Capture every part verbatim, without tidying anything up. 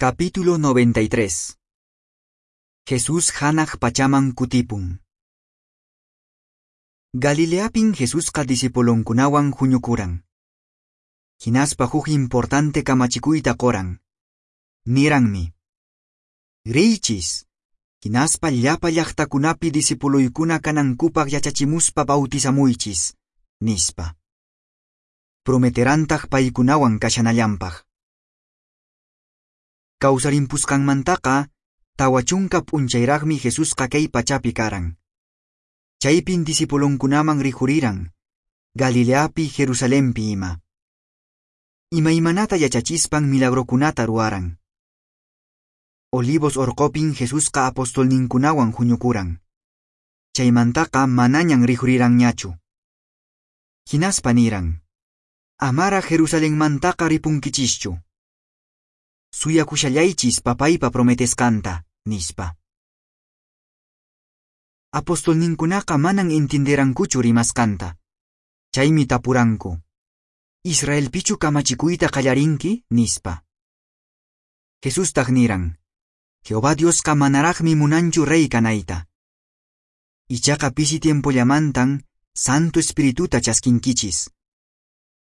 Capítulo noventa y tres. Jesús hanaq pachaman kutipun. Galileapin Jesusqa discipulonkunawan huñukuran. Hinaspa huk importante kamachikuyta qoran. Niranmi: "Riychis, hinaspa llapa llaqtakunapi discipuloykuna kanankupaq yachachimuspa bautizamuychis", nispa. Prometerantaq paykunawan kashanallanpaq. Kawsarimpusqanmantaqa tawa chunka p'unchayraqmi Jesusqa kay pachapi karan. Chaypin discipulonkunaman rikhuriran, Galileapi, Jerusalenpi ima. Imaymanata yachachispan milagrokunata ruwaran. Olivos orqopin Jesusqa apostolninkunawan huñukuran. Chaymantaqa manañan rikhuriranñachu. Hinaspa niran: "Amara Jerusalenmantaqa ripunkichischu. Suyakushallaychis papaypa prometesqanta", nispa. Apostolninkunaqa manan entienderankuchu rimasqanta. Chaymi tapuranku: "Israelpichu kamachikuyta qallarinki?" nispa. Jesustaq niran: "Jehová Diosqa manaraqmi munanchu rey kanayta. Ichaqa pisi tiempollamantan Santo Espirituta chaskinkichis.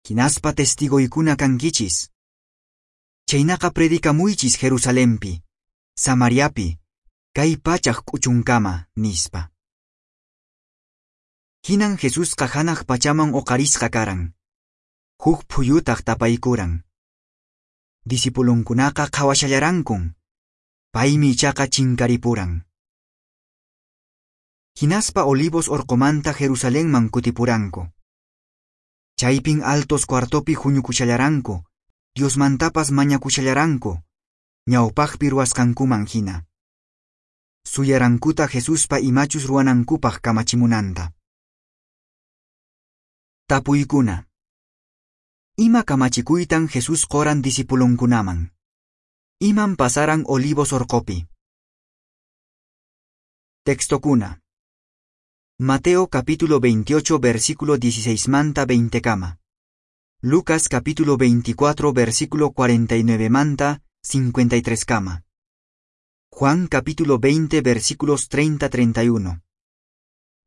Hinaspa testigoykuna kankichis. Chaynaqa predikamuychis Jerusalenpi, Samariapi, kay pachaq k'uchunkama", nispa. Hinan Jesusqa hanaq pachaman uqarisqa karan. Huk phuyutaq tapaykuran. Discipulonkunaqa qhawashallarankun. Paymi ichaqa chinkaripuran. Hinaspa Olivos orqomanta Jerusalenman kutipuranku. Chaypin altos cuartopi huñukushallaranku, Diosmantapas mañakushallaranku, ñawpaqpi ruwasqankuman hina. Suyarankuta Jesuspa imachus ruwanankupaq kamachimunanta. Tapuykuna. Ima kamachikuytan Jesús qoran discipulonkunaman? Iman pasaran Olivos orqopi? Textokuna. Mateo capítulo veintiocho versículo dieciséis manta veinte kama. Lucas capítulo veinticuatro versículo cuarenta y nueve manta cincuenta y tres kama. Juan capítulo veinte versículos treinta treinta y uno.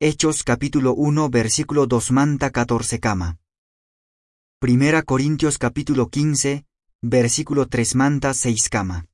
Hechos capítulo uno versículo dos manta catorce kama. Primera Corintios capítulo quince versículo tres manta seis kama.